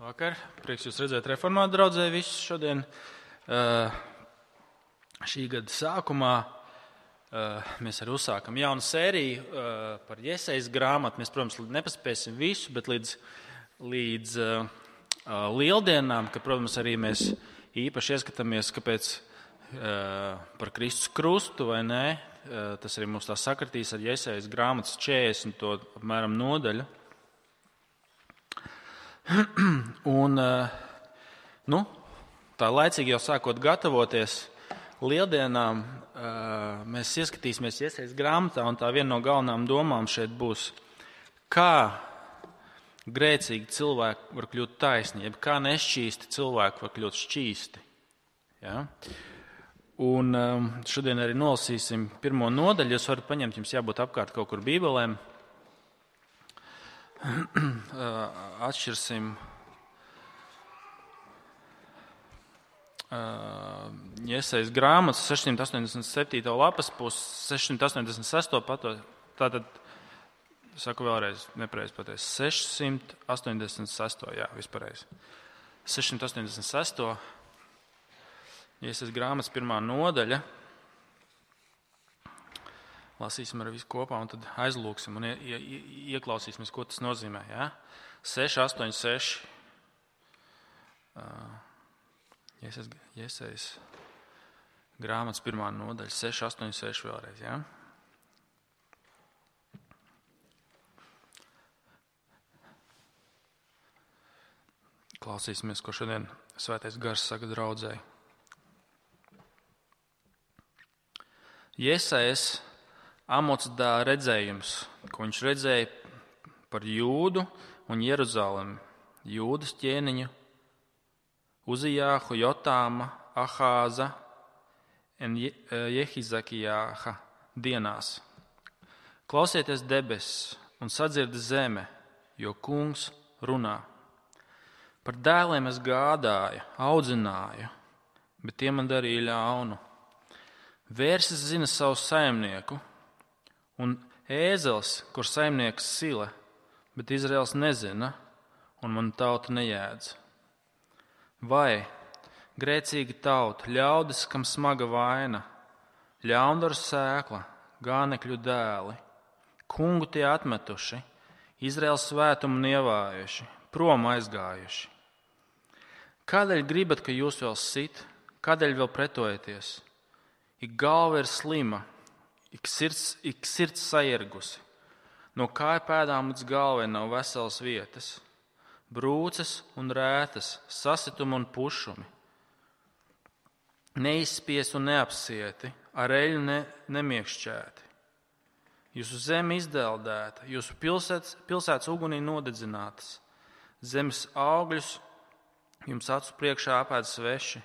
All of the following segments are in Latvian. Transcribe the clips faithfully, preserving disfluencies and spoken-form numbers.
Vakar. Prieks jūs redzēt reformātu draudzē visus šodien. Uh, šī gada sākumā uh, mēs arī uzsākam jaunu sēriju uh, par Jesejas grāmatu. Mēs, protams, nepaspēsim visu, bet līdz, līdz uh, uh, lieldienām, ka, protams, arī mēs īpaši ieskatāmies, kāpēc uh, par Kristus krustu vai nē. Uh, tas arī mums tā sakritīs ar Jesejas grāmatas četrdesmit apmēram nodaļu. Un, nu, tā laicīgi jau sākot gatavoties lieldienām, mēs ieskatīsimies Jesejas grāmatā, un tā viena no galvenām domām šeit būs, kā grēcīgi cilvēki var kļūt taisni, jeb kā nešķīsti cilvēki var kļūt šķīsti. Ja? Un šodien arī nolasīsim pirmo nodaļu, jūs varat paņemt, jums jābūt apkārt kaut kur bībelēm. Atšķirsim Jesejas grāmatas sešsimt astoņdesmit septīto lapas pusi, sešsimt astoņdesmit sesto pato, tātad, saku vēlreiz, nepareizi pateicu, sešsimt astoņdesmit sesto, jā, vispareizi. sešsimt astoņdesmit sesto Jesejas grāmatas pirmā nodaļa. Lasīsim ar visu kopā un tad aizlūksim un ie, ie, ieklausīsimies, ko tas nozīmē. Ja? seši, astoņi, seši. Uh, Jesejas, Jesejas grāmatas pirmā nodaļa. seši, astoņi, seši vēlreiz. Ja? Klausīsimies, ko šodien Svētais Gars saka draudzei. Jesejas Amots dēla redzējums, ko viņš redzēja par Jūdu un Jeruzalemi, Jūdas ķēniņu, Uzijāhu, Jotāma, Ahāza un Jehizakijāha dienās. Klausieties debesis un sadzird zeme, jo kungs runā. Par dēliem es gādāju, audzināju, bet tie man darīja ļaunu. Vērsis zina savu saimnieku, un ēzels, kur saimnieks sila, bet Izraels nezina, un man tauta nejēdz. Vai grēcīga tauta, ļaudis, kam smaga vaina, ļaundaru sēkla, gānekļu dēli, kungu tie atmetuši, Izraels svētumu nievājuši, prom aizgājuši. Kādēļ gribat, ka jūs vēl sit, kādēļ vēl pretojaties? Ik galva ir slima, Ik sirds, ik sirds sairgusi, no kāja pēdām līdz galvai nav veselas vietas, brūces un rētas, sasitumi un pušumi, neizspiesti un neapsieti, ar eļu ne, nemiekšķēti. Jūsu zeme izdeldēta, jūsu pilsētas, pilsētas ugunī nodedzinātas, zemes augļus jums acu priekšā apēd sveši,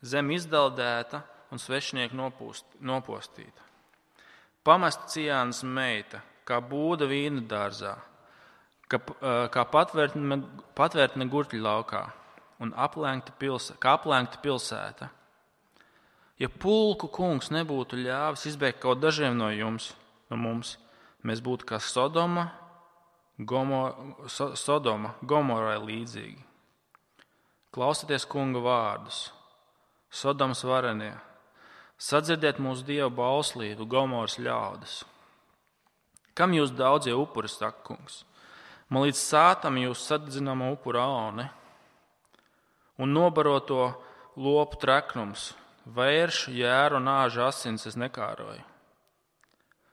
zeme izdeldēta un svešinieki nopūst, nopostīta. Pamesta Cijānas meita, kā būda vīna dārzā, kā, kā patvērtne, patvērtne gurķļu laukā un aplenkta pilsēta, kā aplenkta pilsēta. Ja pulku kungs nebūtu ļāvis izbēgt kaut dažiem no jums, no mums, mēs būtu kā Sodoma, Gomor, so, Sodoma Gomorai līdzīgi. Klausieties kunga vārdus, Sodomas varenie. Sadzirdiet mūsu Dieva bauslību, Gomoras ļaudis. Kam jūs daudzie upuri, saka kungs? Man līdz sātam jūs sadzināma upura aune un nobaroto lopu treknums, vēršu, jēru un āžu asins es nekāroju.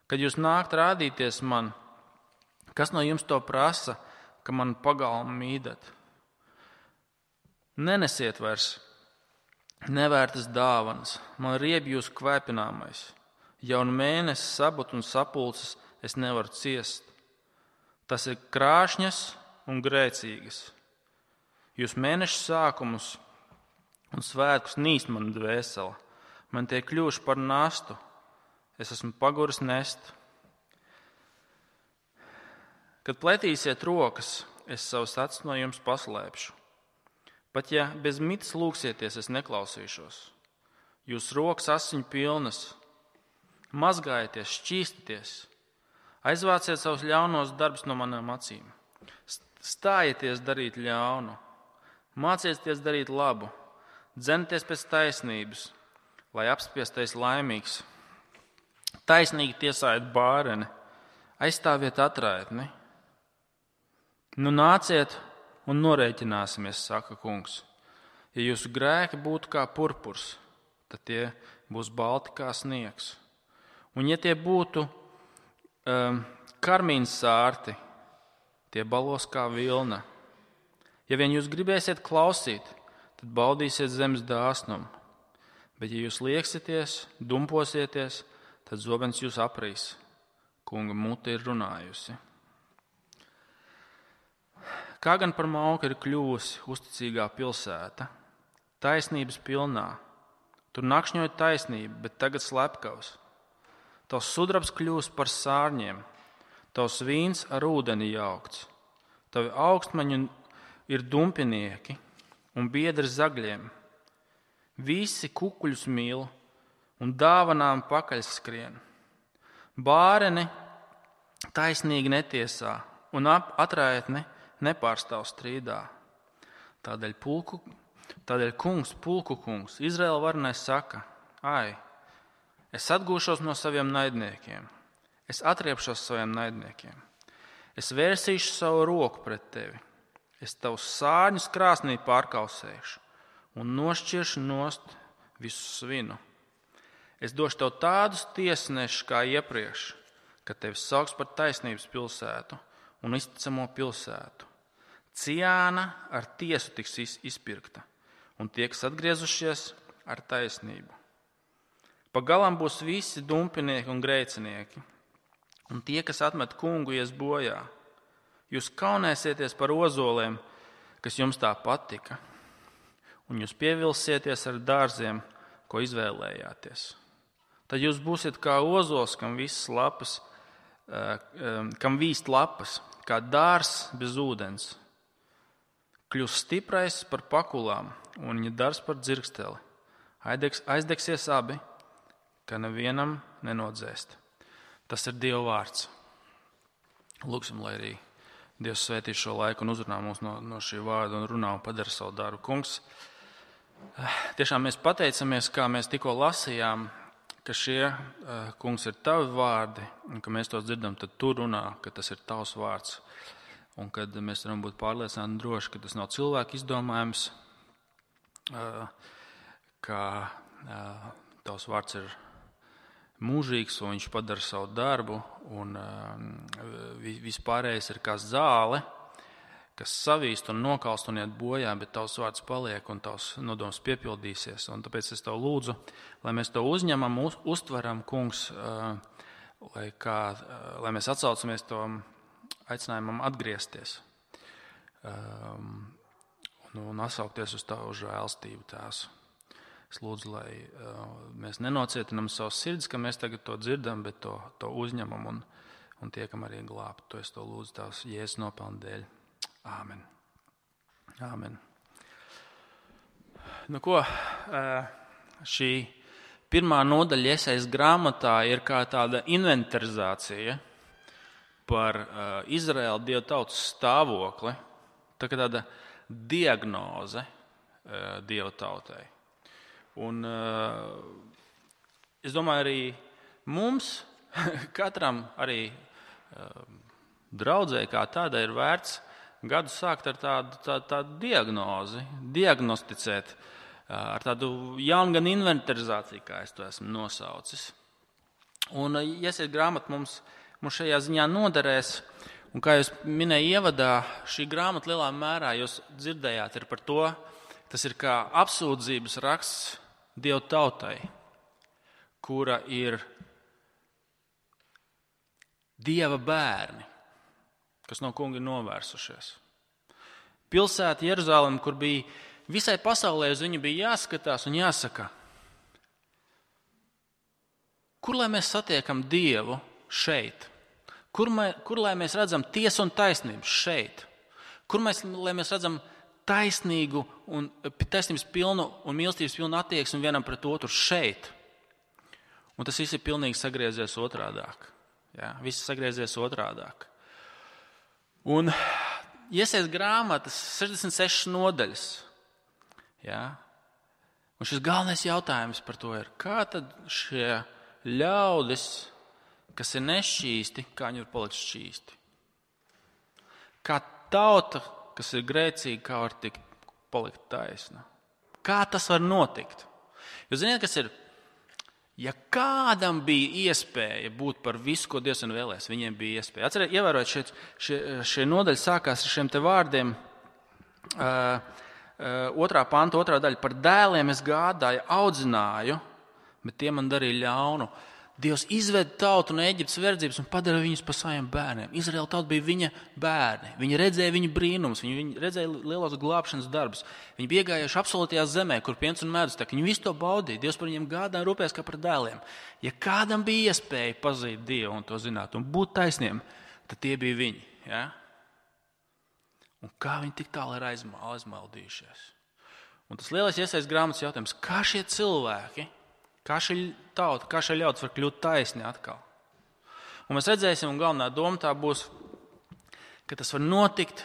Kad jūs nākt rādīties man, kas no jums to prasa, ka man pagalmu mīdat? Nenesiet vairs nevērtas dāvanas, man rieb jūsu kvēpināmais. Jaunu mēnesi, sabut un sapulces es nevaru ciest. Tas ir krāšņas un grēcīgas. Jūs mēnešu sākumus un svētkus nīst man dvēsela. Man tie kļuvuši par nastu. Es esmu paguris nest. Kad pletīsiet rokas, es savus acis no jums paslēpšu. Pat ja bez mitas lūgsieties, es neklausīšos. Jūs rokas asiņu pilnas, mazgājieties, šķīstieties, aizvāciet savus ļaunos darbus no manām acīm. Stājieties darīt ļaunu, Mācieties darīt labu, dzenieties pēc taisnības, lai apspiestais laimīgs. Taisnīgi tiesājiet bāreni, aizstāviet atraitni. Nu nāciet un norēķināsimies, saka kungs. Ja jūsu grēki būtu kā purpurs, tad tie būs balti kā sniegs. Un ja tie būtu um, karmīns sārti, tie balos kā vilna. Ja vien jūs gribēsiet klausīt, tad baudīsiet zemes dāsnumu. Bet ja jūs lieksieties, dumposieties, tad zobens jūs aprīs. Kunga mute ir runājusi. Kā gan par mauku ir kļuvusi uzticīgā pilsēta, taisnības pilnā. Tur nakšņoja taisnība, bet tagad slepkavs. Tavs sudrabs kļūst par sārņiem, tavs vīns ar ūdeni jaukts. Tavi augstmaņi ir dumpinieki un biedri zagļiem. Visi kukuļus mīl un dāvanām pakaļ skrien. Bāreni taisnīgi netiesā un atraitni nepārstāv strīdā. Tādēļ, pulku, tādēļ kungs, pulku kungs, Izraēla varenais saka, ai, es atgūšos no saviem naidniekiem, es atriepšos saviem naidniekiem, es vērsīšu savu roku pret tevi, es tavus sārņus krāsnī pārkausēšu un nošķiršu nost visu svinu. Es došu tev tādus tiesnešus kā iepriekš, ka tevi sauks par taisnības pilsētu un izticamo pilsētu. Ciāna ar tiesu tiks izpirkta, un tie, kas atgriezušies, ar taisnību. Pagalam būs visi dumpinieki un grēcinieki, un tie, kas atmet kungu, ies bojā. Jūs kaunēsieties par ozoliem, kas jums tā patika, un jūs pievilsieties ar dārziem, ko izvēlējāties. Tad jūs būsiet kā ozols, kam visas lapas, kam vīst lapas, kā dārs bez ūdens. Kļūs stiprais par pakulām un viņa darbs par dzirksteli. Aizdegs, aizdegsies abi, ka nevienam nenodzēst. Tas ir Dieva vārds. Lūksim, lai arī Dievs svētī šo laiku un uzrunā mūs no, no šī vārda un runā un padara savu darbu. Kungs, tiešām mēs pateicamies, kā mēs tikko lasījām, ka šie, kungs, ir tavi vārdi un ka mēs tos dzirdam, tad tu runā, ka tas ir tavs vārds. Un kad mēs varam būt pārliecināti droši, ka tas nav cilvēku izdomājums, ka tavs vārds ir mūžīgs un viņš padara savu darbu un vispārējais ir kā zāle, kas savīst un nokalst un iet bojā, bet tavs vārds paliek un tavs nodoms piepildīsies. Un tāpēc es tev lūdzu, lai mēs to uzņemam, uz, uztveram, kungs, lai, kā, lai mēs atsaucamies to aicinājumam atgriezties um, un, un atsaukties uz tavu žēlstību tās. Es lūdzu, lai uh, mēs nenocietinam savus sirdis, ka mēs tagad to dzirdam, bet to, to uzņemam un, un tiekam arī glābt. To es to lūdzu tavs Jēzus nopelnu dēļ. Āmen. Āmen. Nu ko, uh, šī pirmā nodaļa Jesajas grāmatā ir kā tāda inventarizācija par uh, Izraēlu Dieva tautas stāvokli, tā kā tāda diagnoze uh, Dieva tautai. Un uh, es domāju, arī mums, katram arī uh, draudzē kā tādai ir vērts gadu sākt ar tādu, tādu, tādu diagnozi, diagnosticēt uh, ar tādu jaunu gan inventarizāciju, kā es to esmu nosaucis. Un uh, Jesajas grāmata mums Mums šajā ziņā noderēs, un kā jūs minēju ievadā, šī grāmata lielā mērā jūs dzirdējāt ir par to, tas ir kā apsūdzības raksts Dieva tautai, kura ir Dieva bērni, kas no kunga ir novērsušies. Pilsēta Jeruzalem, kur bija visai pasaulē, uz viņu bija jāskatās un jāsaka, kur lai mēs satiekam Dievu šeit? Kur, mē, kur lai mēs redzam tiesu un taisnību šeit? Kur mēs, lai mēs redzam taisnīgu un taisnības pilnu un mīlestības pilnu attieksmi vienam pret otru šeit? Un tas viss ir pilnīgi sagriezies otrādāk. Jā, viss sagriezies otrādāk. Un Jesajas grāmatas sešdesmit sešas nodaļas, Ja? Un šis galvenais jautājums par to ir, kā tad šie ļaudis, kas ir nešķīsti, kā viņi var palikt šķīsti? Kā tauta, kas ir grēcīga, kā var tikt, palikt taisna? Kā tas var notikt? Jūs zināt, kas ir? Ja kādam bija iespēja būt par visu, ko Dievs ir vēlējis, viņiem bija iespēja. Atcerieties, ievērot, šie, šie, šie nodaļi sākās ar šiem te vārdiem. Uh, uh, otrā panta, otrā daļa. Par dēliem es gādāju, audzināju, bet tie man darīja ļaunu. Dievs izved tautu no Eģiptes verdzības un padara viņus par saviem bērniem. Izraēla tauta bija viņa bērni. Viņi redzēja viņu brīnumus, viņi, viņi redzēja lielos glābšanas darbus. Viņi bija iegājuši absolūtajā zemē, kur piens un medus tek. Viņi visu to baudīja. Dievs par viņiem gādāja un rūpējās kā par dēliem. Ja kādam bija iespēja pazīt Dievu un to zināt un būt taisniem, tad tie bija viņi. Ja? Un kā viņi tik tālu ir aizmaldījušies? Un tas lielais iesaistas grāmatas jautājums, kā šie cilvēki, kā šī tauta, kā šie ļaudis var kļūt taisni atkal? Un mēs redzēsim, un galvenā doma tā būs, ka tas var notikt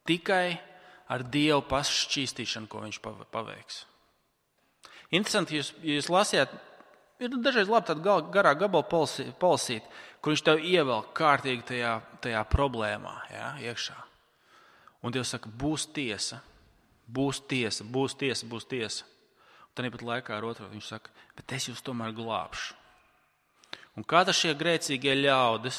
tikai ar Dievu paššķīstīšanu, ko viņš paveiks. Interesanti, jūs, jūs lasījāt, ir dažreiz labi tāda garā gabala polasīt, kur viņš tev ievelk kārtīgi tajā, tajā problēmā, ja, iekšā. Un Dievs saka, būs tiesa, būs tiesa, būs tiesa, būs tiesa. Un tāpat laikā ar otru viņš saka, bet es jūs tomēr glābšu. Un kā tas šie grēcīgie ļaudis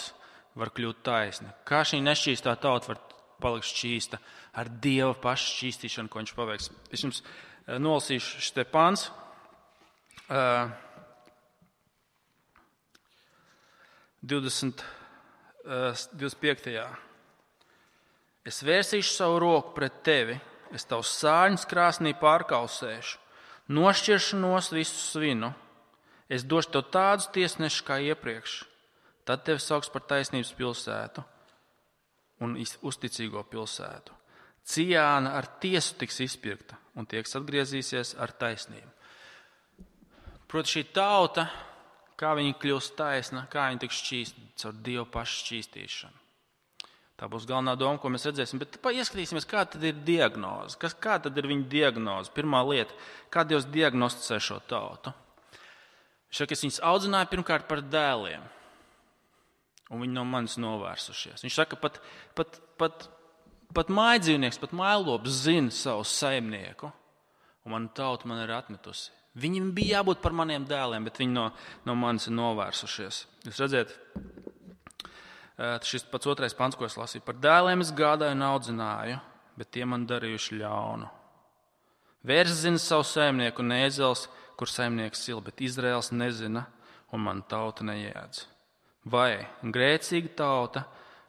var kļūt taisni? Kā šī nešķīstā tauta var palikt šķīsta ar Dieva pašu šķīstīšanu, ko viņš paveiks? Es jums nolasīšu šis te pants. divdesmit, divdesmit piektajā. Es vērsīšu savu roku pret tevi, es tavus sārņus krāsnī pārkausēšu, nošķiršu nost visu svinu, es došu tev tādus tiesnešus kā iepriekš, tad tevi sauks par taisnības pilsētu un uzticīgo pilsētu. Cijāna ar tiesu tiks izpirkta un tieks atgriezīsies ar taisnību. Proti šī tauta, kā viņa kļūst taisna, kā viņa tiks šķīsta caur Dievu pašu šķīstīšanu. Tā būs galvenā doma, ko mēs redzēsim. Bet ieskatīsimies, kā tad ir diagnoze. Kas, kā tad ir viņa diagnoze? Pirmā lieta, kā Dievs diagnosticē šo tautu. Viņš saka, es viņus audzināju pirmkārt par dēliem, un viņi no manis novērsušies. Viņš saka, pat, pat, pat, pat mājdzīvnieks, pat mājlops zina savu saimnieku, un mana tauta man ir atmetusi. Viņiem bija jābūt par maniem dēliem, bet viņi no, no manis ir novērsušies. Jūs redzat, šis pats otrais pants, ko es lasīju. Par dēliem es gādāju un audzināju, bet tie man darījuši ļaunu. Vērs zina savu saimnieku un ēzels, kur saimnieks sil, bet Izraels nezina un man tauta neēdz. Vai grēcīga tauta,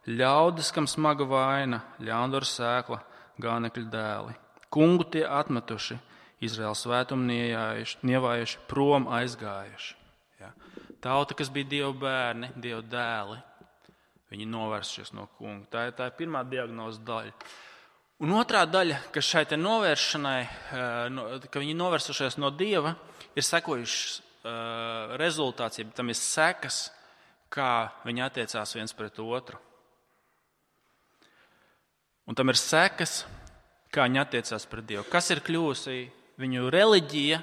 ļaudis, kam smaga vaina, ļaundaru sēkla, gānekļu dēli. Kungu tie atmetuši, Izraels svētumu nievājuši, prom aizgājuši. Ja. Tauta, kas bija Dieva bērni, Dieva dēli, viņi novērsušies no kunga. Tā ir, tā ir pirmā diagnozes daļa. Un otrā daļa, kas šai te novēršanai, ka viņi novērsušies no Dieva, ir sekojušas rezultāts, ja tam ir sekas, kā viņi attiecās viens pret otru. Un tam ir sekas, kā viņi attiecās pret Dievu. Kas ir kļūsi viņu reliģija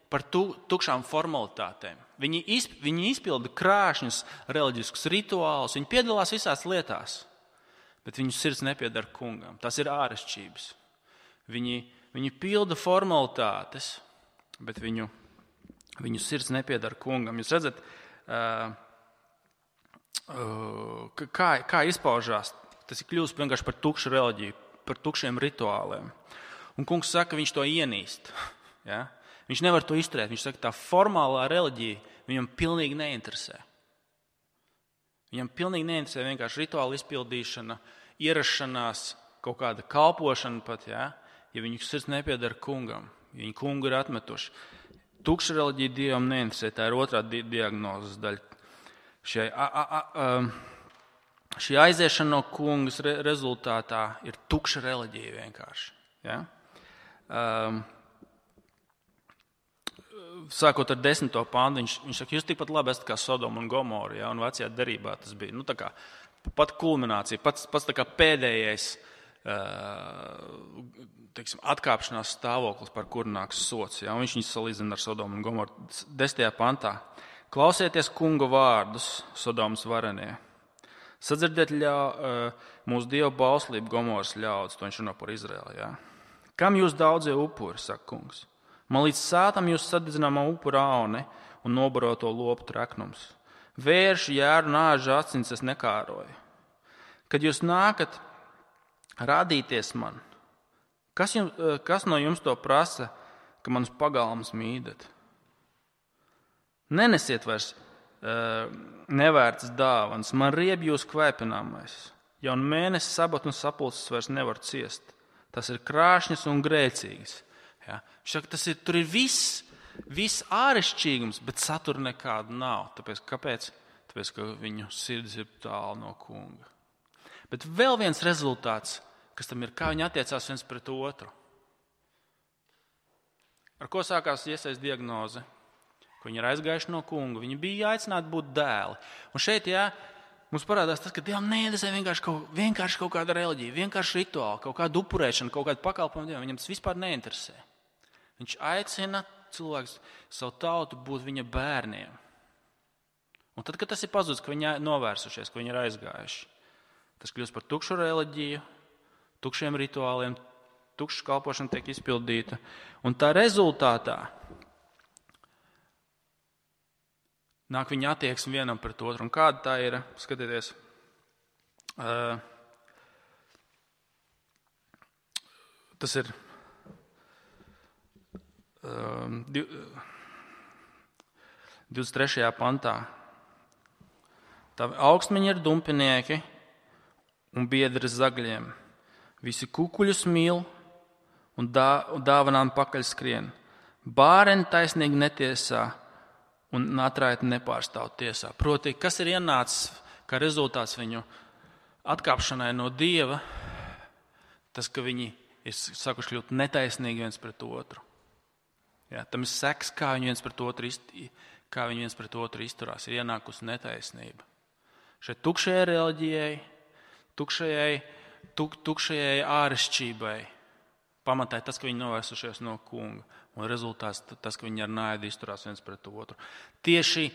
par tu, tukšām formalitātēm? Viņi, izp, viņi izpilda krāšņus reliģiskus rituālus, viņi piedalās visās lietās, bet viņu sirds nepiedara kungam. Tas ir āršķirības. Viņi, viņi pilda formalitātes, bet viņu, viņu sirds nepiedara kungam. Jūs redzat, uh, uh, kā, kā izpaužās, tas ir kļūst vienkārši par tukšu reliģiju, par tukšiem rituāliem. Un kungs saka, viņš to ienīst. Ja? Viņš nevar to izturēt. Viņš saka, tā formālā reliģija viņam pilnīgi neinteresē. Viņam pilnīgi neinteresē vienkārši rituāla izpildīšana, ierašanās, kaut kāda kalpošana pat, ja, ja viņu sirds nepiedara kungam. Viņu kungu ir atmetuši. Tukša reliģija Dievam neinteresē. Tā ir otrā di- diagnozes daļa. Šie, a, a, a, šī aiziešana no kungas re, rezultātā ir tukša reliģija vienkārši. Ja? Um, Sākot ar desmito pāntu, viņš, viņš saka, jūs tikpat labi esat kā Sodoma un Gomora, ja, un vecajā derībā tas bija, nu tā kā pat kulminācija, pats, pats tā kā pēdējais teiksim, atkāpšanās stāvoklis, par kuru nāks sots. Ja? Un viņš viņus salīdzina ar Sodomu un Gomoru desmitajā pantā. Klausieties kunga vārdus, Sodomas varenie. Sadzirdiet ļā, mūsu Dieva bauslību Gomoras ļaudis, to viņš runā par Izraēlu. Ja? Kam jūs daudzie upuri, saka kungs? Man līdz sātam jūs sadedzināmā upura auni un nobaroto lopu treknums. Vērši, jēru, nāžu acins es nekāroju. Kad jūs nākat rādīties man, kas, jums, kas no jums to prasa, ka manas pagalmas mīdat? Nenesiet vairs uh, nevērtas dāvanas, man rieb jūs kvēpināmais. Jaun mēnesis, sabatu un sapulces vairs nevar ciest. Tas ir krāšņas un grēcīgas. Ja? Šak, tas ir, tur ir viss. Viss āršķirīgums, bet satura nekāda nav. Tāpēc, kāpēc? Tāpēc, ka viņu sirds ir tālu no kunga. Bet vēl viens rezultāts, kas tam ir, kā viņi attiecās viens pret otru. Ar ko sākās Iesajas diagnoze? Ka viņi ir aizgājuši no kunga. Viņi bija aicināti būt dēli. Un šeit, jā, mums parādās tas, ka Dievam neinteresē vienkārši kaut, vienkārši kaut kāda reliģija, vienkārši rituāli, kaut kāda upurēšana, kaut kāda pakalpojuma Dievam. Viņam tas vispār neinteresē. Viņš aicina cilvēks savu tautu būt viņa bērniem. Un tad, kad tas ir pazudis, ka viņi ir novērsušies, ka viņi ir aizgājuši, tas kļūst par tukšu reliģiju, tukšiem rituāliem, tukša kalpošana tiek izpildīta. Un tā rezultātā nāk viņa attieksme vienam pret otru. Un kāda tā ir? Skatieties. Uh, tas ir divdesmit trešajā pantā. Tā augstmeņi ir dumpinieki un biedri zagļiem. Visi kukuļus mīl un, dā, un dāvanām pakaļ skrien. Bāreni taisnīgi netiesā un natraiti nepārstāv tiesā. Proti, kas ir ienācis kā rezultāts viņu atkāpšanai no Dieva, tas, ka viņi ir sākuši kļūt netaisnīgi viens pret otru. Jā, tam ir seks, kā viņi viens pret otru, kā viņi viens pret otru izturās. Ir ienākusi netaisnība. Šai tukšajai reliģijai, tukšajai, tuk, tukšajai āršķībai pamatā tas, ka viņi novērsušies no kunga. Un rezultāts tas, ka viņi ar naidu izturās viens pret otru. Tieši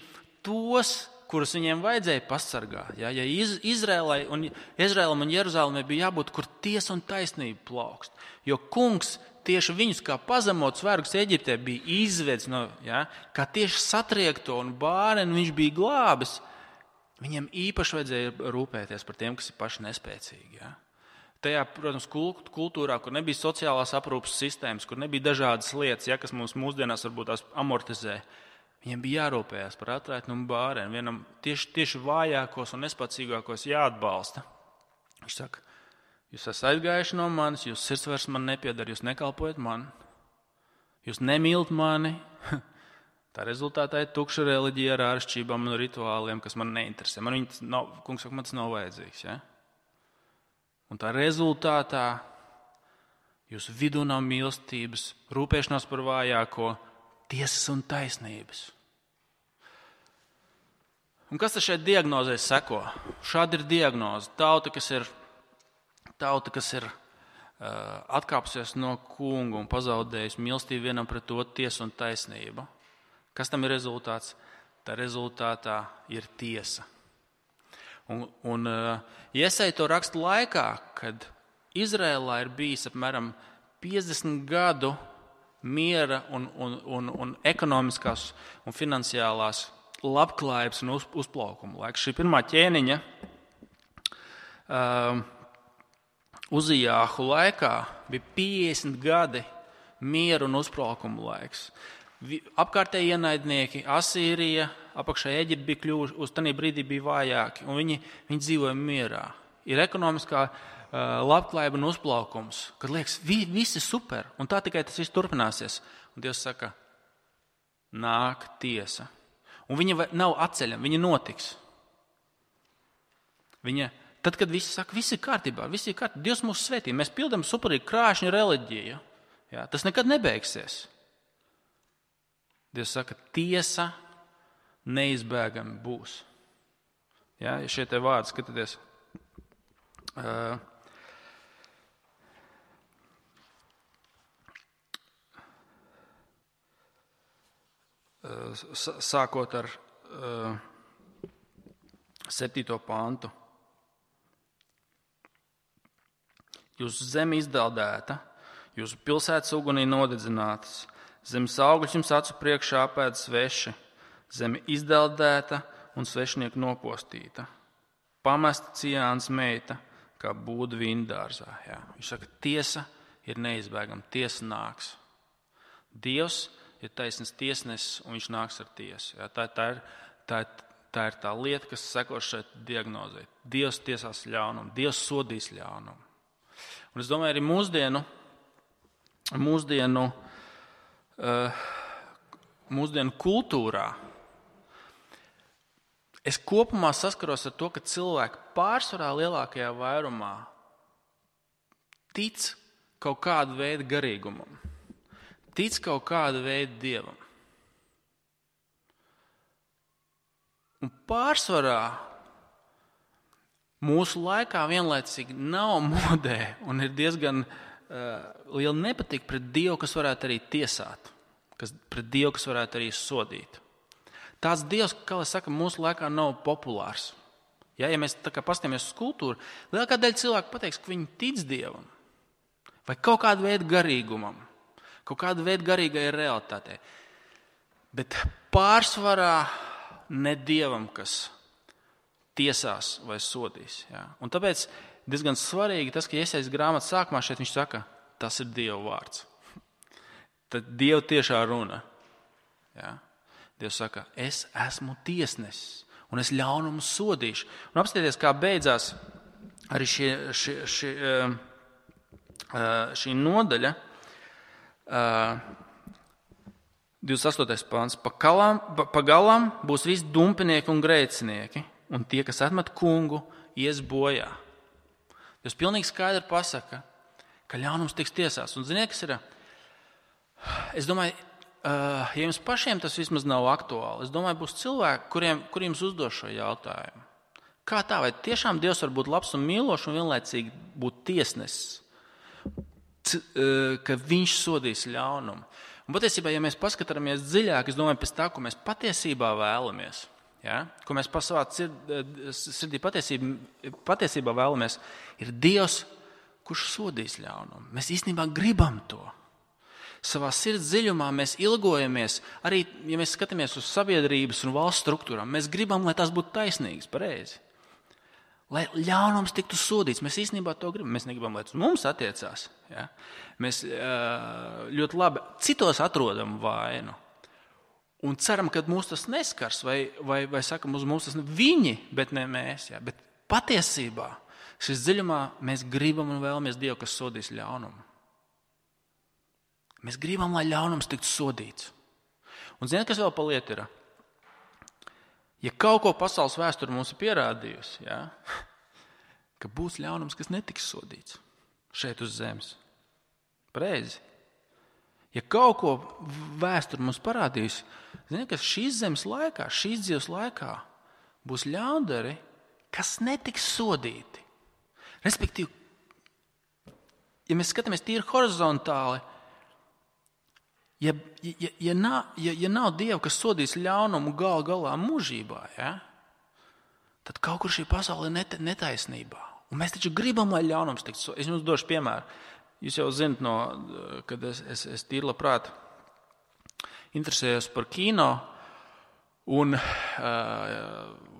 tos, kurus viņiem vajadzēja pasargāt. Ja, ja Izrēlai un, Izrēlam un Jeruzālēmai bija jābūt, kur tiesa un taisnība plaukst. Jo kungs tieši viņus kā pazemots vergus Eģiptē bija izvedis, no, ja, kā tieši satriekto un bāreni viņš bija glābis. Viņiem īpaši vajadzēja rūpēties par tiem, kas ir paši nespēcīgi. Ja. Tajā, protams, kultūrā, kur nebija sociālās aprūpas sistēmas, kur nebija dažādas lietas, ja, kas mums mūsdienās varbūt tās amortizē, viņiem bija jārūpējās par atraitni un bāreni. Vienam tieši, tieši vājākos un nespēcīgākos jāatbalsta. Viņš saka, jūs esat aizgājuši no manis, jūs sirds vairs man nepiedara, jūs nekalpojat man, jūs nemīlat mani. Tā rezultātā ir tukša reliģija ar āršķībām un rituāliem, kas man neinteresē. Man viņas nav, kungs saka, man tas nav vajadzīgs. Ja? Un tā rezultātā jūsu vidū nav mīlestības, rūpēšanās par vājāko, tiesas un taisnības. Un kas tad šeit diagnozē seko? Šāda ir diagnoze. Tauta, kas ir Tauta, kas ir uh, atkāpsies no kunga un pazaudējusi mīlestību vienam pret to tiesu un taisnību. Kas tam ir rezultāts? Tā rezultātā ir tiesa. Un, un uh, Iesaja to raksta laikā, kad Izrēlā ir bijis apmēram piecdesmit gadu miera un, un, un, un ekonomiskās un finansiālās labklājības un uz, uzplaukuma laiks. Šī pirmā ķēniņa uh, Uzijāhu laikā bija piecdesmit gadi miera un uzplaukuma laiks. Apkārtēji ienaidnieki, Asīrija, apakšā Eģipte bija kļuvuši, uz tanī brīdī bija vājāki, un viņi, viņi dzīvoja mierā. Ir ekonomiskā uh, labklājība un uzplaukums, kad liekas, vi, viss ir super, un tā tikai tas viss turpināsies. Un Dievs saka, nāk tiesa. Un viņa nav atceļama, viņa notiks. Viņa, tad, kad visi saka, viss ir kārtībā, viss ir kārtībā, Dievs mūs svētī, mēs pildam superīgu krāšņu reliģiju, jā, tas nekad nebeigsies. Dievs saka, tiesa neizbēgami būs. Ja, šie te vārdi, skatieties. Uh, sākot ar septīto pantu. Jūsu zeme izdeldēta, jūsu pilsētas ugunī nodedzinātas, zemes augļus jums acu priekšā apēd sveši, zeme izdeldēta un svešinieku nopostīta. Pamesta Cijānas meita, kā būda vīndārzā. Jā. Viņš saka, tiesa ir neizbēgama, tiesa nāks. Dievs ir taisnīgs tiesnesis, un viņš nāks ar tiesu. Jā. Tā, tā, ir, tā, tā ir tā lieta, kas seko šeit diagnozē. Dievs tiesās ļaunumu, Dievs sodīs ļaunumu. Un es domāju, arī mūsdienu, mūsdienu, uh, mūsdienu kultūrā es kopumā saskaros ar to, ka cilvēki pārsvarā lielākajā vairumā tic kaut kādu veidu garīgumam, tic kaut kādu veidu dievam. Un pārsvarā mūsu laikā vienlaicīgi nav modē un ir diezgan uh, liela nepatika pret Dievu, kas varētu arī tiesāt, kas, pret Dievu, kas varētu arī sodīt. Tāds Dievs, kā lai saka, mūsu laikā nav populārs. Ja, ja mēs tā kā paskatāmies uz kultūru, lielākā daļa cilvēku pateiks, ka viņi tic Dievam vai kaut kādu veidu garīgumam, kaut kādu veidu garīgai realitātei. Bet pārsvarā ne Dievam, kas tiesās vai sodīs. Ja. Un tāpēc diezgan svarīgi tas, ka Jesajas grāmatas sākumā šeit viņš saka, tas ir Dieva vārds. Tad Dieva tiešā runa. Ja. Dievs saka, es esmu tiesnesis un es ļaunumu sodīšu. Un apskatieties, kā beidzās arī šie, šie, šie, šī nodaļa. divdesmit astotais pāns. Pa galam būs visi dumpinieki un grēcinieki, un tie, kas atmet kungu, ies bojā. Dievs pilnīgi skaidri pasaka, ka ļaunums tiks tiesās. Un ziniet, kas ir? Es domāju, ja jums pašiem tas vismaz nav aktuāli, es domāju, būs cilvēki, kuriem, kuriem uzdos šo jautājumu. Kā tā? Vai tiešām Dievs var būt labs un mīlošs un vienlaicīgi būt tiesnesis, ka viņš sodīs ļaunumu? Un patiesībā, ja mēs paskatāmies dziļāk, es domāju, pēc tā, ko mēs patiesībā vēlamies, ja? Ko mēs pa savā sirdī patiesībā, patiesībā vēlamies, ir Dievs, kurš sodīs ļaunumu. Mēs īstenībā gribam to. Savā sirds dziļumā mēs ilgojamies, arī, ja mēs skatāmies uz sabiedrības un valsts struktūrām, mēs gribam, lai tās būtu taisnīgas, pareizi. Lai ļaunums tiktu sodīts, mēs īstenībā to gribam. Mēs negribam, lai tas mums attiecās. Ja? Mēs ļoti labi citos atrodam vainu un ceram, ka mūs tas neskars, vai, vai, vai sakam, uz mums tas ne viņi, bet ne mēs. Ja? Bet patiesībā šis dziļumā mēs gribam un vēlamies Dievu, kas sodīs ļaunumu. Mēs gribam, lai ļaunums tiktu sodīts. Un ziniet, kas vēl pa lietu ir? Ja kaut ko pasaules vēsture mums ir pierādījusi, ja, ka būs ļaunums, kas netiks sodīts šeit uz zemes. Pareizi. Ja kaut ko vēsture mums parādījusi, ziniet, ka šīs zemes laikā, šīs dzīves laikā būs ļaundari, kas netiks sodīti. Respektīvi, ja mēs skatāmies tīri horizontāli, Ja, ja, ja, nav, ja, ja nav Dieva, kas sodīs ļaunumu gal galā mūžībā, ja, tad kaut kur šī pasaule ir net, netaisnībā. Un mēs taču gribam, lai ļaunums tiktu sodīts. Es jums došu piemēru. Jūs jau zinat, no, kad es, es, es tīri labprāt interesējos par kino, un uh,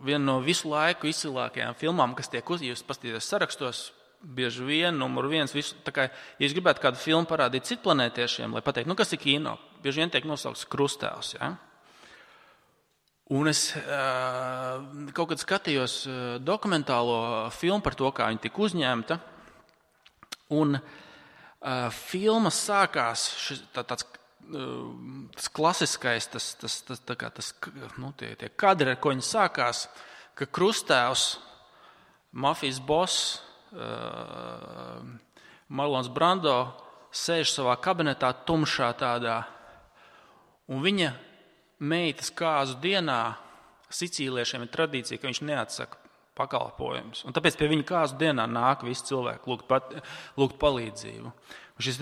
viena no visu laiku izcilākajām filmām, kas tiek uz, jūs paskatīties sarakstos, bieži vien, numur viens, visu, tā kā, ja es gribētu kādu filmu parādīt citplanētiešiem, lai pateikt, nu kas ir kino, bieži vien tiek nosaukts Krustāvs, ja? Un es uh, kaut kad skatījos uh, dokumentālo filmu par to, kā viņa tika uzņemta, un uh, filma sākās, šis, tā, tāds, uh, tas klasiskais, tas, tas, tas, tā kā tas, nu, tie, tie kadri, ar ko viņa sākās, ka Krustāvs, mafijas boss, Uh, Marlons Brando sēž savā kabinetā tumšā tādā, un viņa meitas kāzu dienā sicīliešiem ir tradīcija, ka viņš neatsaka pakalpojumus. Un tāpēc pie viņa kāzu dienā nāk visi cilvēki lūgt, pat, lūgt palīdzību. Un šis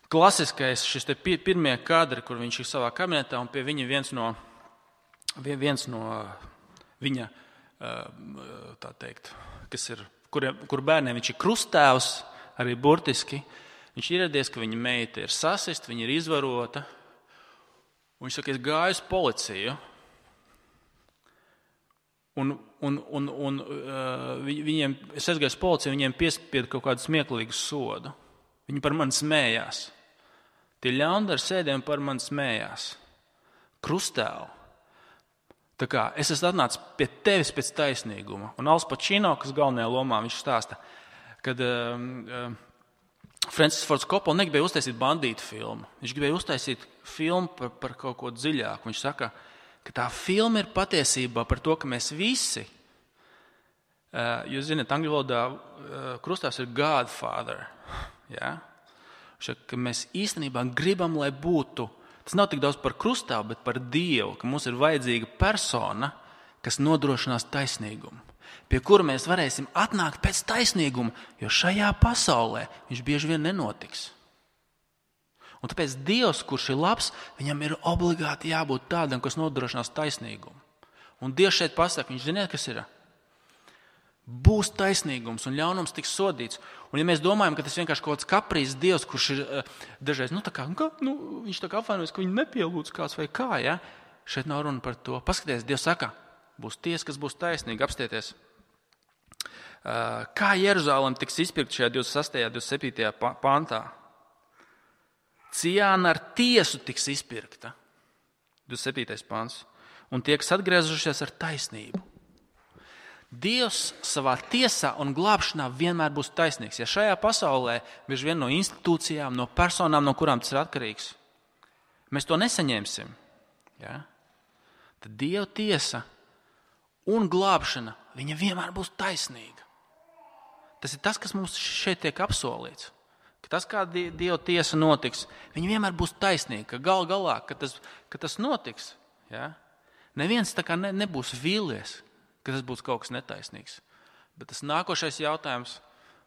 klasiskais šis te pirmie kadri, kur viņš ir savā kabinetā, un pie viņa viens no, viens no viņa, tā teikt, kas ir, kur, kur bērniem viņš ir krusttēvs, arī burtiski. Viņš ir ieradies, ka viņa meita ir sasist, viņa ir izvarota. Un viņš saka, es gāju uz policiju. Un, un, un, un uh, viņiem, es aizgāju uz policiju, viņiem piespieda kaut kādu smieklīgu sodu. Viņi par mani smējās. Tie ļaundari sēdēja un par mani smējās. Krusttēvu. Tā kā es esmu atnācis pie tevis pēc taisnīguma. Un Al Pacino, kas galvenajā lomā, viņš stāsta, kad uh, uh, Francis Fords Coppola negribēja uztaisīt bandītu filmu. Viņš gribēja uztaisīt filmu par, par kaut ko dziļāku. Viņš saka, ka tā filma ir patiesībā par to, ka mēs visi, uh, jūs zināt, angļu valodā uh, krustāvs ir Godfather. Ja? Šak, ka mēs īstenībā gribam, lai būtu, tas nav tik daudz par krustāvu, bet par Dievu, ka mums ir vajadzīga persona, kas nodrošinās taisnīgumu, pie kura mēs varēsim atnākt pēc taisnīguma, jo šajā pasaulē viņš bieži vien nenotiks. Un tāpēc Dievs, kurš ir labs, viņam ir obligāti jābūt tādam, kas nodrošinās taisnīgumu. Un Dievs šeit pasaka, viņš ziniet, kas ir? Būs taisnīgums un ļaunums tiks sodīts. Un ja mēs domājam, ka tas vienkārši kaut kāds kaprīzes Dievs, kurš ir dažreiz, nu tā kā, nu, viņš tā kā apvainojas, ka viņu nepielūdz kāds vai kā, ja? Šeit nav runa par to. Paskaties, Dievs saka, būs tiesa, kas būs taisnīga, apstieties. Kā Jeruzalem tiks izpirkt šajā divdesmit sastajā, divdesmit septītajā pantā? Ciāna ar tiesu tiks izpirkta, divdesmit septītais pants, un tie, kas atgriezušies ar taisnību. Dievs savā tiesā un glābšanā vienmēr būs taisnīgs. Ja šajā pasaulē, bieži vien no institūcijām, no personām, no kurām tas ir atkarīgs, mēs to nesaņemsim, ja? Tad Dieva tiesa un glābšana, viņa vienmēr būs taisnīga. Tas ir tas, kas mums šeit tiek apsolīts. Ka tas, kā Dieva tiesa notiks, viņa vienmēr būs taisnīga, ka gal galā, ka tas, ka tas notiks, ja? Neviens tā kā ne, nebūs vīlies, ka tas būs kaut kas netaisnīgs. Bet tas nākošais jautājums,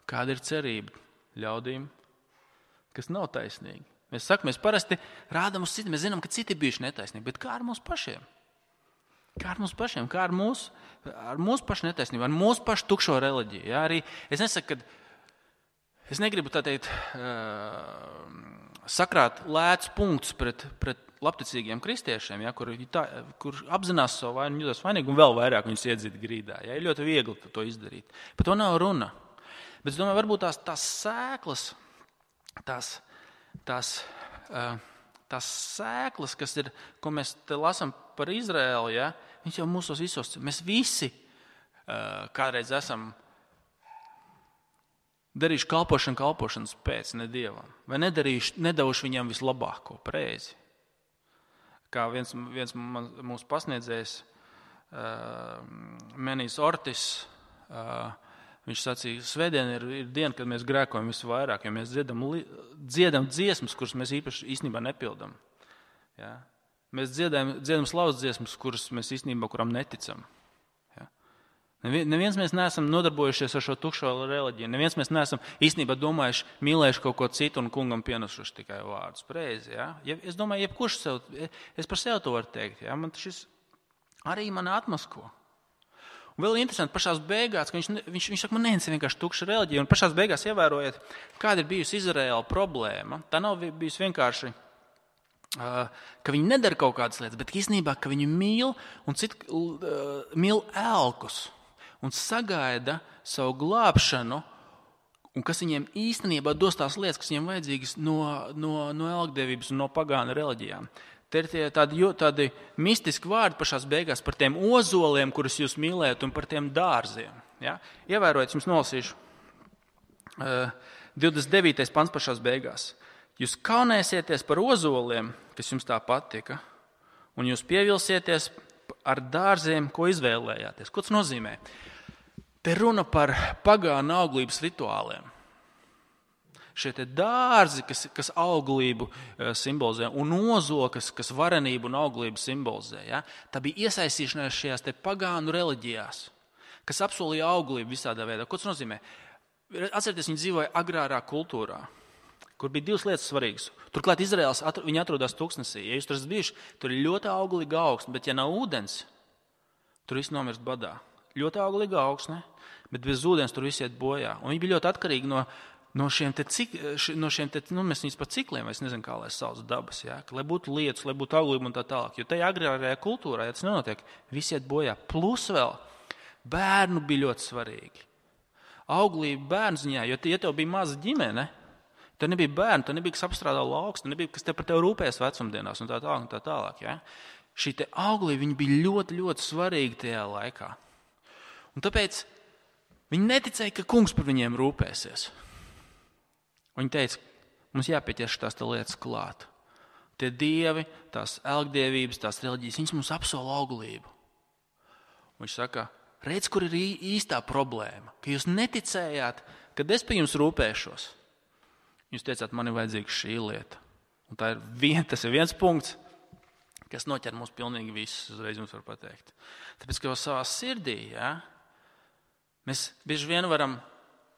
kāda ir cerība ļaudīm, kas nav taisnīgi. Mēs sakam, mēs parasti rādam uz citi, mēs zinām, ka citi bijuši netaisnīgi, bet kā ar mums pašiem? Kā ar mums pašiem? Kā ar mūsu, ar mūsu pašu netaisnību, ar mūsu pašu tukšo reliģiju? Ja? Arī es nesaku, ka Es negribu tā teikt, sakrāt lētus punktus pret, pret labticīgiem kristiešiem, ja, kur, tā, kur apzinās savu vainu, jūtas vainīgi un vēl vairāk viņus iedzīt grīdā. Ja, ir ļoti viegli to izdarīt. Par to nav runa. Bet es domāju, varbūt tās, tās sēklas, tās, tās, tās sēklas, kas ir, ko mēs te lasām par Izraēlu, ja, viņš jau mūsos visos, mēs visi kādreiz esam darīšu kalpošanu kalpošanas pēc, ne Dievam. Vai nedarīšu, nedavušu viņam vislabāko, pareizi. Kā viens, viens man, mūsu pasniedzējs, uh, Menijs Ortis, uh, viņš sacīja, svētdien ir, ir diena, kad mēs grēkojam visvairāk, jo mēs dziedam, dziedam dziesmas, kuras mēs īpaši īstenībā nepildam. Ja? Mēs dziedam, dziedam slavas dziesmas, kuras mēs īstenībā kuram neticam. Neviens mēs neesam nodarbojušies ar šo tukšo reliģiju. Neviens mēs neesam īstenībā domājuši, mīlējuši kaut ko citu un kungam pienesuši tikai vārdus. Preizi, ja? Ja, es domāju, jebkurš sev, es par sevi to varu teikt. Ja? Man šis arī mani atmasko. Un vēl interesanti, pašās beigās, ka viņš, viņš, viņš saka, man neviens ir vienkārši tukša reliģija. Un pašās beigās ievērojiet, kāda ir bijusi Izraēla problēma. Tā nav bijusi vienkārši, uh, ka viņi nedara kaut kādas lietas, bet īstenībā, ka viņi mīl un citu uh, mīl elkus. Un sagaida savu glābšanu, un kas viņiem īstenībā dos tās lietas, kas viņiem vajadzīgas no, no, no elgdevības un no pagānu reliģijām. Te ir tie tādi, tādi mistiski vārdi pašās beigās par tiem ozoliem, kurus jūs mīlējat, un par tiem dārziem. Ja? Ievērojiet, jums nolasīšu. Uh, divdesmit devītais pants pašās beigās. Jūs kaunēsieties par ozoliem, kas jums tā patika, un jūs pievilsieties ar dārziem, ko izvēlējāties. Ko tas nozīmē? Te runa par pagānu auglības rituāliem. Šie te dārzi, kas, kas auglību simbolizē, un ozoli, kas, kas varenību un auglību simbolizē. Ja? Tā bija iesaistīšanās šajās te pagānu reliģijās, kas apsolīja auglību visādā veidā. Ko tas nozīmē? Atcerieties, viņi dzīvoja agrārā kultūrā, kur bija divas lietas svarīgas. Turklāt Izraels atr- viņi atrodas tūkstnesī. Ja jūs tur esat bijuši, tur ir ļoti auglīga augsne, bet ja nav ūdens, tur viss nomirst badā. Ļoti auglīga augsne, bet bez ūdens tur viss iet bojā. Un viņi bija ļoti atkarīgi no, no šiem te, cik, no šiem te, nu, mēs viņus par cikliem, es nezinu, kā lai sauc dabas, ja? Lai būtu lietus, lai būtu auglība un tā tālāk. Jo tajā agrārajā kultūrā, ja tas nenotiek, viss iet bojā. Plus vēl bērnu bija ļoti svarīgi. Auglība bērnu ziņā, jo, ja tev bija maza ģimene, tev nebija bērnu, tev nebija kas apstrādā lauks, tev nebija kas te par tevi rūpējas vecumdienās un tā tālāk. Un tā tālāk ja? Šī te auglība viņa bija ļoti, ļoti svarīga tajā laikā. Un tāpēc viņi neticēja, ka kungs par viņiem rūpēsies. Viņi teica, mums jāpieķerš tās te lietas klāt. Tie dievi, tās elgdievības, tās reliģijas, viņas mums apsola auglību. Un viņš saka, redz, kur ir īstā problēma, ka jūs neticējāt, kad es pie jums rūpēšos. Jūs teicāt, man ir vajadzīga šī lieta. Un tā ir vien, tas ir viens punkts, kas noķer mūs pilnīgi visus, uzreiz jums var pateikt. Tāpēc, ka jau savā sirdī, ja, mēs bieži vien varam,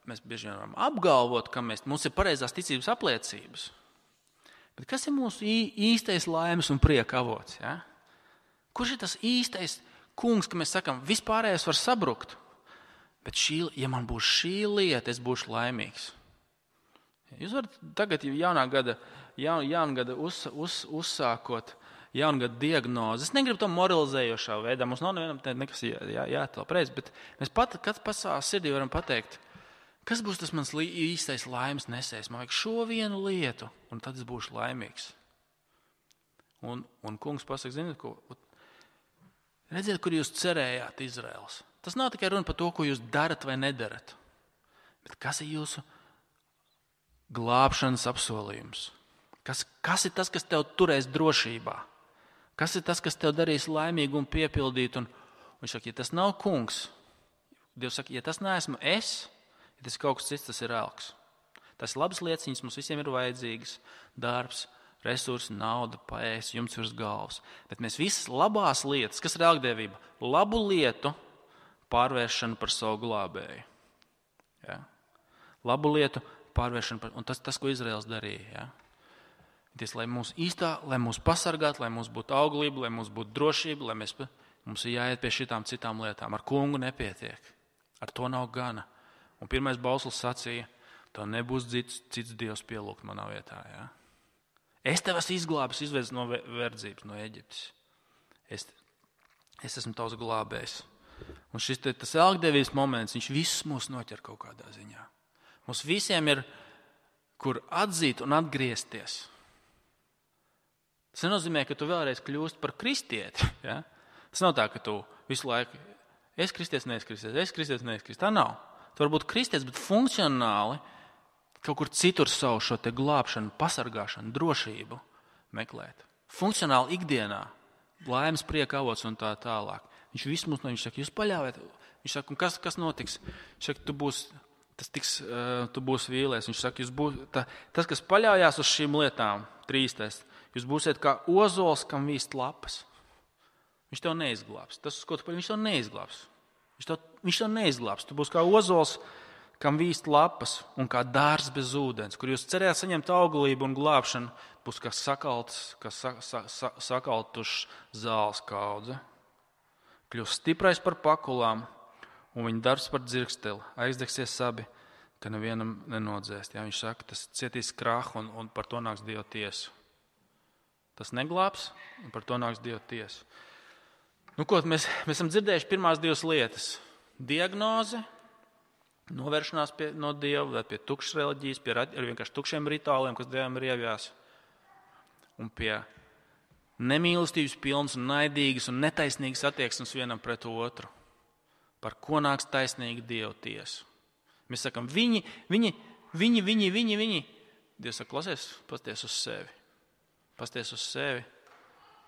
mēs bieži vien varam apgalvot, ka mēs, mums ir pareizās ticības apliecības. Bet kas ir mūsu īstais laimes un prieka avots? Ja? Kurš ir tas īstais kungs, ka mēs sakam, vispārējais var sabrukt, bet šī, ja man būs šī lieta, es būšu laimīgs. Jūs varat tagad jaunā gada, jaun, jaunā gada uz, uz, uzsākot jaunā gada diagnozi. Es negribu to moralizējošā veidā, mums nav nevienam nekas jā, jā, jātēl preiz, bet mēs pat, kad pats savā sirdī varam pateikt, kas būs tas mans īstais laimes nesējs, man vajag šo vienu lietu, un tad es būšu laimīgs. Un, un kungs pasaka, ziniet, ko... Redziet, kur jūs cerējāt, Izraels. Tas nav tikai runa par to, ko jūs darat vai nedarat, bet kas ir jūsu glābšanas apsolījums? Kas, kas ir tas, kas tev turēs drošībā? Kas ir tas, kas tev darīs laimīgu un piepildīt? Un, un viņš saka, ja tas nav kungs, Dievs saka, ja tas neesmu es, ja tas ir kaut kas cits, tas ir elks. Tas ir labas lieciņas, mums visiem ir vajadzīgas, darbs, resursi, nauda, paēst, jumts virs galvas. Bet mēs visas labās lietas, kas ir elgdevība, labu lietu pārvēršanu par savu glābēju. Ja? Labu lietu pārvēršanu par, un tas, tas ko Izraels darīja. Ja? Ties, lai mūs īstā, lai mūs pasargātu, lai mums būtu auglība, lai mums būtu drošība, lai mēs, mums ir jāiet pie šitām citām lietām. Ar kungu nepietiek. Ar to nav gana. Un pirmais bauslis sacīja, tev nebūs cits, cits dievs pielūgt manā vietā. Ja? Es tev esmu izglābis, izvedis no verdzības, no Eģiptes. Es, es esmu tavs glābējs. Un šis te, tas elgdevības moments, viņš visus mūs noķer kaut kādā ziņā. Mums visiem ir, kur atzīt un atgriezties. Tas nenozīmē, ka tu vēlreiz kļūst par kristieti. Ja? Tas nav tā, ka tu visu laiku, es kristietis, nees kristietis, es kristietis, nees kristietis. Tā nav. Tu vari būt kristietis, bet funkcionāli kaut kur citur savu šo te glābšanu, pasargāšanu, drošību meklēt. Funkcionāli ikdienā, laimes prieka avots un tā tālāk. Viņš visu mums no viņš saka, jūs paļaujiet. Viņš saka, un kas, kas notiks? Viņš saka, tu būs, tas tiks, uh, tu būs vīlies. Viņš saka, jūs būs, tā, tas, kas paļaujās uz šīm lietām, trīstais, jūs būsiet kā ozols, kam vīst lapas. Viņš tev neizglābs. Tas, uz ko tu paļaujies, viņš tev neizglābs. Viņš tev, viņš tev neizglābs. Tu būs kā ozols, kam vīst lapas un kā dārs bez ūdens, kur jūs cerējāt saņemt auglību un glābšanu, būs kā sakalts, kā sa, sa, sa, sakaltušs zāles kaudze. Kļūs stiprais par pakulām un viņa darbs par dzirksteli. Aizdegsies abi, ka nevienam nenodzēst. Ja, viņš saka, tas cietīs krahu un, un par to nāks Dieva tiesa. Tas neglābs un par to nāks Dieva tiesa. Nu, ko, mēs, mēs esam dzirdējuši pirmās divas lietas. Diagnoze, novēršanās pie, no Dieva, vai pie tukšas reliģijas, pie ar vienkārši tukšiem rituāliem, kas Dievam ir ievjās. Un pie nemīlestības pilnas un naidīgas un netaisnīgas attieksmes vienam pret otru. Par ko nāks taisnīga Dieva tiesa. Mēs sakam, viņi, viņi, viņi, viņi, viņi, viņi. Dievs saka, klausies, pasties uz sevi. Pasties uz sevi.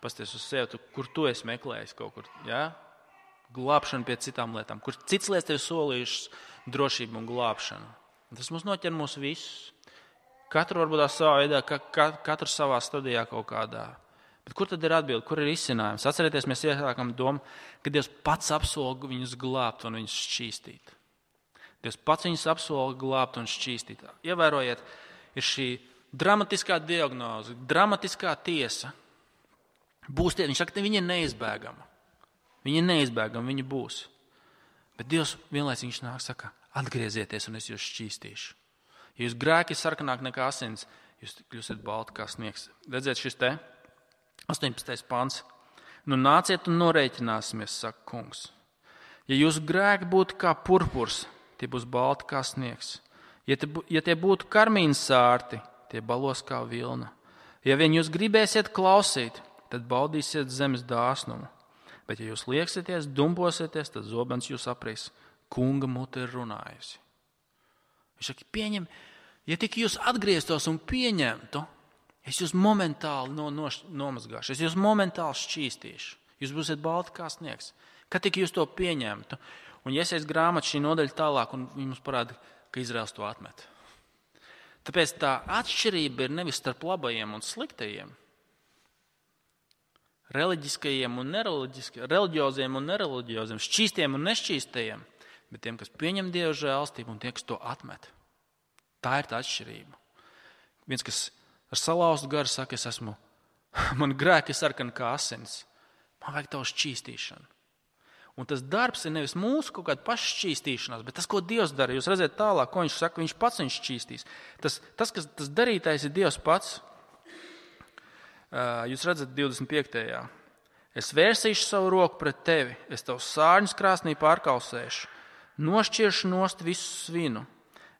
Pasties uz sevi, tu, kur tu esi meklējis kaut kur. Ja? Glābšana pie citām lietām. Kur cits lietas tev solījušas drošību un glābšanu. Un tas mums noķer mūs visus. Katru varbūt tā savā veidā, ka, ka, katru savā stadijā kaut kādā. Bet kur tad ir atbilde, kur ir izcinājums? Atcerieties, mēs iesākam domu, ka Dievs pats apsola viņus glābt un viņus šķīstīt. Dievs pats viņus apsola glābt un šķīstīt. Ievērojiet, ir šī dramatiskā diagnoze, dramatiskā tiesa. Būs tie, viņš saka, ka viņa ir neizbēgama. Viņa ir neizbēgama, viņa būs. Bet Dievs vienlaicīgi viņš nāk, saka, atgriezieties un es jūs šķīstīšu. Ja jūs grēki ir sarkanāk nekā asins, jūs kļūsiet balti kā sniegs. Redziet šis te astoņpadsmitais pants. Nu nāciet un norēķināsimies, saka kungs. Ja jūsu grēki būtu kā purpurs, tie būs balti kā sniegs. Ja tie, ja tie būtu karmīnas sārti, tie balos kā vilna. Ja vien jūs gribēsiet klausīt, tad baudīsiet zemes dāsnumu. Bet ja jūs lieksieties, dumposieties, tad zobens jūs aprīs. Kunga mute ir runājusi. Viņš saka, pieņem, ja tik jūs atgrieztos un pieņemtu, es jūs momentāli no, no, nomazgāšu, es jūs momentāli šķīstīšu. Jūs būsiet balti kā sniegs. Kad tik jūs to pieņemtu? Un Jesajas grāmata šī nodaļa tālāk, un mums parāda, ka Izraels to atmet. Tāpēc tā atšķirība ir nevis starp labajiem un sliktajiem, reliģiskajiem un nereliģiskajiem, reliģioziem un nereliģioziem, šķīstiem un nešķīstajiem, bet tiem, kas pieņem Dieva žēlstību un tie, kas to atmet. Tā ir tā atšķirība. Viens, kas ar salauztu garu saka, es esmu, man grēki ir sarkani kā asins, man vajag tavu šķīstīšanu. Un tas darbs ir nevis mūsu kaut kāda paššķīstīšanās, bet tas, ko Dievs dara. Jūs redzat tālāk, ko viņš saka, viņš pats viņš šķīstīs. Tas, tas, kas, tas darītājs ir Dievs pats. Jūs redzat divdesmit piektajā Es vērsīšu savu roku pret tevi, es tavu sārņus krāsnī pārkausēšu, nošķiršu nost visu svinu.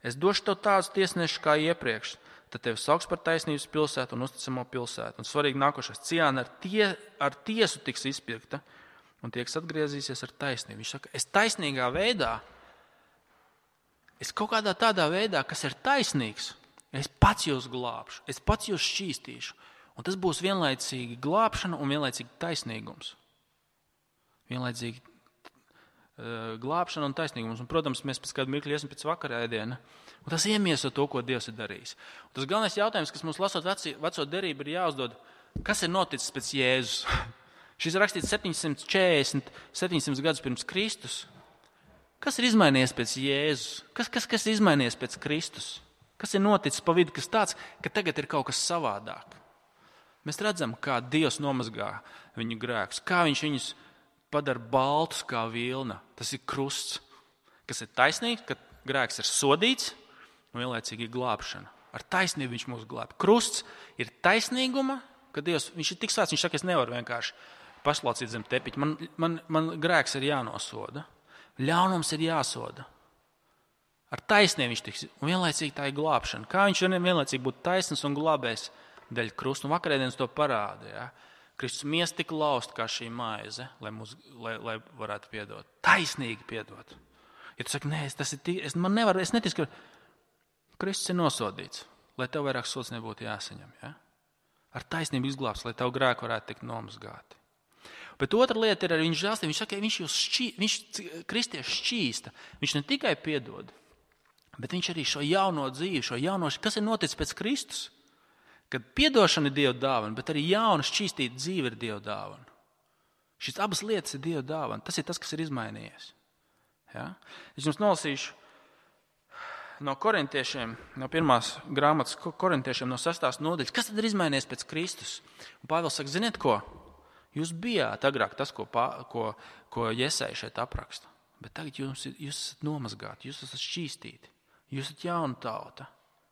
Es došu tev tādus tiesnešus kā iepriekš, tad tevi sauks par taisnības pilsētu un uzticamo pilsētu. Un svarīgi nākošais, Ciāna ar, tie, ar tiesu tiks izpirkta un tie, kas atgriezīsies ar taisnību. Viņš saka, es taisnīgā veidā, es kaut kādā tādā veidā, kas ir taisnīgs, es pats jūs glābšu, es pats jūs šķīstīšu. Un tas būs vienlaicīgi glābšana un vienlaicīgi taisnīgums. Vienlaicīgi uh, glābšana un taisnīgums. Un, protams, mēs pēc kādu mirkli iesim pēc vakarēdiena. Un tas iemieso to, ko Dievs ir darījis. Un tas galvenais jautājums, kas mums lasot veci, veco derību, ir jāuzdod, kas ir noticis pēc Jēzus? Šis ir rakstīts septiņsimt četrdesmit, septiņsimt gadus pirms Kristus. Kas ir izmainījies pēc Jēzus? Kas, kas, kas ir izmainījies pēc Kristus? Kas ir noticis pa vidu, kas tāds, ka tagad ir kaut kas savādāk? Mēs redzam, kā Dievs nomazgā viņu grēkus, kā viņš viņus padara baltus kā vilna. Tas ir krusts, kas ir taisnīgs, ka grēks ir sodīts un vienlaicīgi ir glābšana. Ar taisnību viņš mūs glāb. Krusts ir taisnīguma, ka Dievs, viņš ir tik svēts, viņš saka, es nevaru vienkārši paslaucīt zem tepiņa. Man, man, man grēks ir jānosoda. Ļaunums ir jāsoda. Ar taisnību viņš tiks, un vienlaicīgi tā ir glābšana. Kā viņš vienlaicīgi būtu taisns un glābējs dēļ krusta. Un vakarēdienas to parāda. Ja? Kristus miest tik laust kā šī maize, lai, mūs, lai, lai varētu piedot. Taisnīgi piedot. Ja tu saki, nē, tas ir tī, es, man nevar, es neticu, ka Kristus ir nosodīts, lai tev vairāk sods nebūtu jāsaņem. Ja? Ar taisnību izglābs, lai tev grēku varētu tikt nomazgāti. Bet otra lieta ir arī viņa žēlstība. Viņš saka, viņš jūs šķī, viņš kristieši šķīsta. Viņš ne tikai piedod, bet viņš arī šo jauno dzīvi, šo jauno, kas ir noticis pēc Kristus? Kad piedošana ir Dieva dāvana, bet arī jauna šķīstīta dzīve ir Dieva dāvana. Šīs abas lietas ir Dieva dāvana. Tas ir tas, kas ir izmainījies. Ja? Es jums nolasīšu no korintiešiem, no pirmās grāmatas korintiešiem, no sestās nodaļas. Kas tad ir izmainījies pēc Kristus? Un Pāvils saka, ziniet ko? Jūs bijāt agrāk tas, ko, ko, ko Jesaja šeit apraksta. Bet tagad jūs, jūs esat nomazgāti, jūs esat šķīstīti, jūs esat jauna tauta.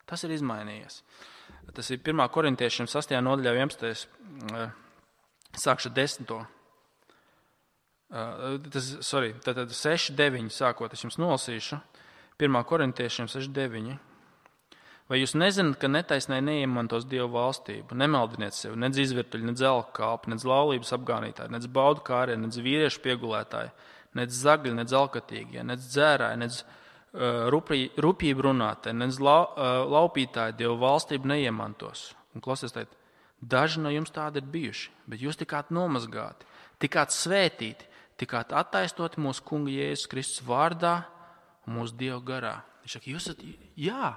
Tas ir izmainījies. Tas ir pirmā korintiešiem sastajā nodaļā vienpadsmitajā sākšu desmito. Tas, sorry, tātad seši deviņi sākot, es jums nolasīšu. pirmā korintiešiem seši deviņi. Vai jūs nezināt, ka netaisnai neiemantos Dievu valstību? Nemaldiniet sevi, nedz izvirtuļi, nedz elku kalpi, nedz laulības apgānītāji, nedz baudu kārie, nedz vīriešu piegulētāji, nedz zagļi, nedz alkatīgie, nedz dzērāji, nedz rupjību runātāji, nedz laupītāji Dievu valstību neiemantos. Un klausies, tēt, daži no jums tādi ir bijuši, bet jūs tikāt nomazgāti, tikāt svētīti, tikāt attaisnoti mūsu Kunga Jēzus Kristus vārdā un mūsu Dieva garā. Viņš saka, jūs esat, jā.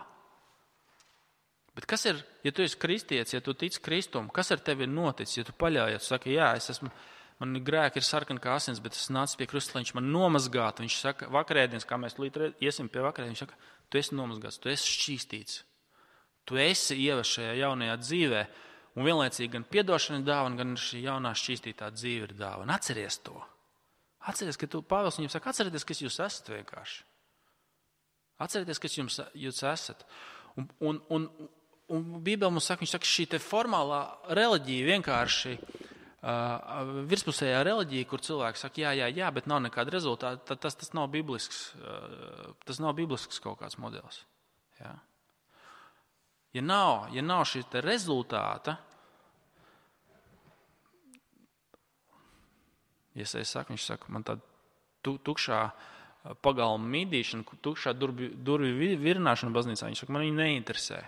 Bet kas ir, ja tu esi kristietis, ja tu tici Kristum, kas ar tevi ir noticis, ja tu paļaujies, tu saki, jā, es esmu, man grēki ir sarkani kā asins, bet es nācu pie Kristus, lai viņš man nomazgātu. Viņš saka, vakarēdienas, kā mēs līdz iesim pie vakarēdienas, viņš saka, tu esi nomazgāts, tu esi šķīstīts. Tu esi ievests šajā jaunajā dzīvē, un vienlaicīgi gan piedošana ir dāvana, gan šī jaunā šķīstītā dzīve ir dāvana. Atceries to. Atceries, ka tu, Pāvils viņam saka, atcerieties, kas jūs esat vienkārši. Atcerieties, kas jums, jūs esat. Un, un, un, un Bībele mums saka, viņš saka, šī te formālā reliģija vienkārši, uh, virspusējā reliģija, kur cilvēki saka, jā, jā, jā, bet nav nekāda rezultāta, tas, tas, nav biblisks, uh, tas nav biblisks kaut kāds modelis. Jā. Ja nav, ja nav šī te rezultāta, ja es saku, viņš saka, man tāda tukšā pagalma mīdīšana, tukšā durvju, durvju virināšana baznīcā, viņš saka, man viņa neinteresē.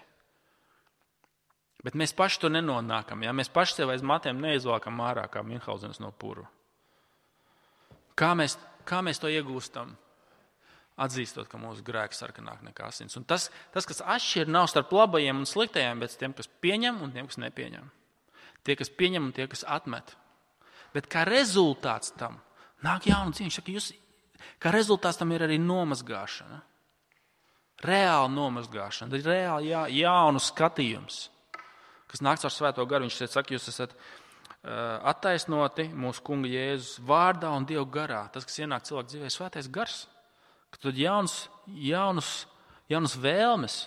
Bet mēs paši to nenonākam, ja? Mēs paši sev aiz matiem neizvākam ārā kā Minhausenas no puru. Kā mēs, kā mēs to iegūstam? Atzīstot, ka mūsu grēki sarkanāk nekā asins. Un tas, tas, kas atšķir, nav starp labajiem un sliktajiem, bet tiem, kas pieņem un tiem, kas nepieņem. Tie, kas pieņem un tie, kas atmet. Bet kā rezultāts tam nāk jauna dzīve. Saka, jūs, kā rezultāts tam ir arī nomazgāšana. Reāla nomazgāšana, reāli jā, jaunu skatījums, kas nāk caur Svēto garu. Viņš saka, jūs esat uh, attaisnoti mūsu Kunga Jēzus vārdā un Dieva garā. Tas, kas ienāk cilvēku dzīvē, Svētais gars. Ka tad jaunas, jaunas, jaunas vēlmes,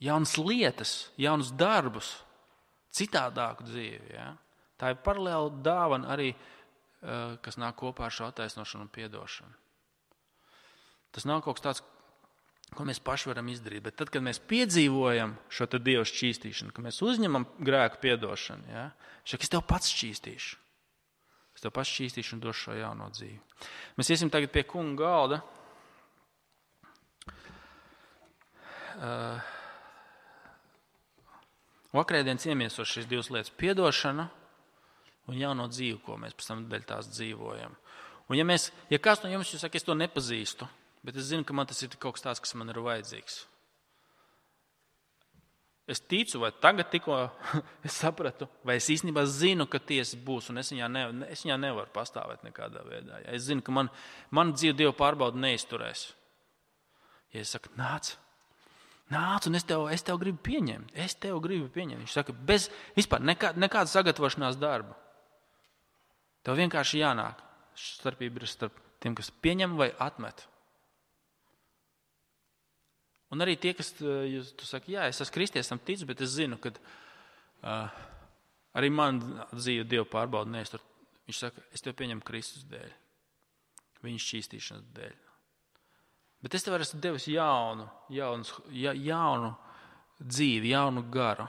jaunas lietas, jaunas darbus, citādāku dzīvi. Ja? Tā ir paralēla dāvana arī, kas nāk kopā ar šo attaisnošanu un piedošanu. Tas nav kaut kas tāds, ko mēs paši varam izdarīt, bet tad, kad mēs piedzīvojam šo te Dieva šķīstīšanu, kad mēs uzņemam grēku piedošanu, ja? Šak, es tev pats šķīstīšu. Es tev pats šķīstīšu un došu šo jauno dzīvi. Mēs iesim tagad pie kunga galda. Uh, Vakarēdien iemiesos šīs divas lietas - piedošana un jauno dzīvi, ko mēs pēc tam dēļ tās dzīvojam. Un ja, mēs, ja kāds no jums jūs saka, es to nepazīstu, bet es zinu, ka man tas ir kaut kas tāds, kas man ir vajadzīgs. Es ticu, vai tagad tikko es sapratu, vai es īstenībā zinu, ka tiesa būs, un es viņā, ne, es viņā nevaru pastāvēt nekādā veidā. Ja es zinu, ka man, man dzīve Dieva pārbauda neizturēs. Ja es saku, nāc, nāc, un es tev, es tev gribu pieņemt, es tev gribu pieņemt. Viņš saka, bez vispār nekā, nekāda sagatavošanās darba. Tev vienkārši jānāk. Starpība ir starp tiem, kas pieņem vai atmet. Un arī tie, kas, jūs, tu saki, jā, es esmu kristietis, tam ticu, bet es zinu, ka uh, arī man dzīve Dieva pārbauda neiztur. Viņš saka, es tev pieņemu Kristus dēļ, viņa šķīstīšanas dēļ. Bet es tev esmu devis jaunu, jaunu, ja, jaunu dzīvi, jaunu garu.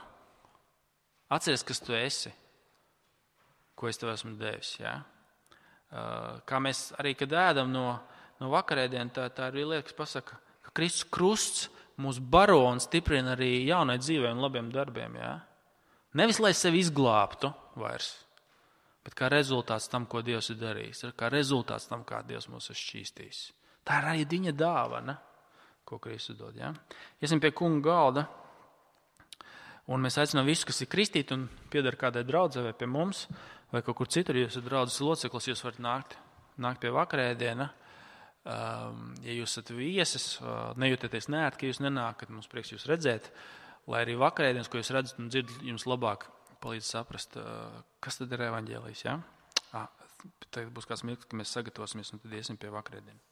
Atceries, kas tu esi, ko es tev esmu devis. Ja? Uh, kā mēs arī, kad ēdam no, no vakarēdien, tā, tā ir lieta, kas pasaka, Kristus krusts mūs baro un stiprina arī jaunai dzīvē un labiem darbiem. Jā? Nevis, lai sevi izglābtu vairs, bet kā rezultāts tam, ko Dievs ir darījis. Kā rezultāts tam, kā Dievs mūs ir šķīstījis. Tā ir arī viņa dāvana, ko Kristus dod. Jā? Iesim pie kunga galda, un mēs aicinām visus, kas ir kristīti un pieder kādai draudzē vai pie mums, vai kaut kur citur, ja jūs esat draudzes loceklis, jūs varat nākt, nākt pie vakarēdiena. Ja jūs esat viesis, nejūtieties neērti, ka jūs nenākat, mums prieks jūs redzēt, lai arī vakarēdienas, ko jūs redzat un dzirdat, jums labāk palīdz saprast, kas tad ir evaņģēlijs. Ja? Tagad būs kāds mirklis, ka mēs sagatavosimies un tad iesim pie vakarēdienas.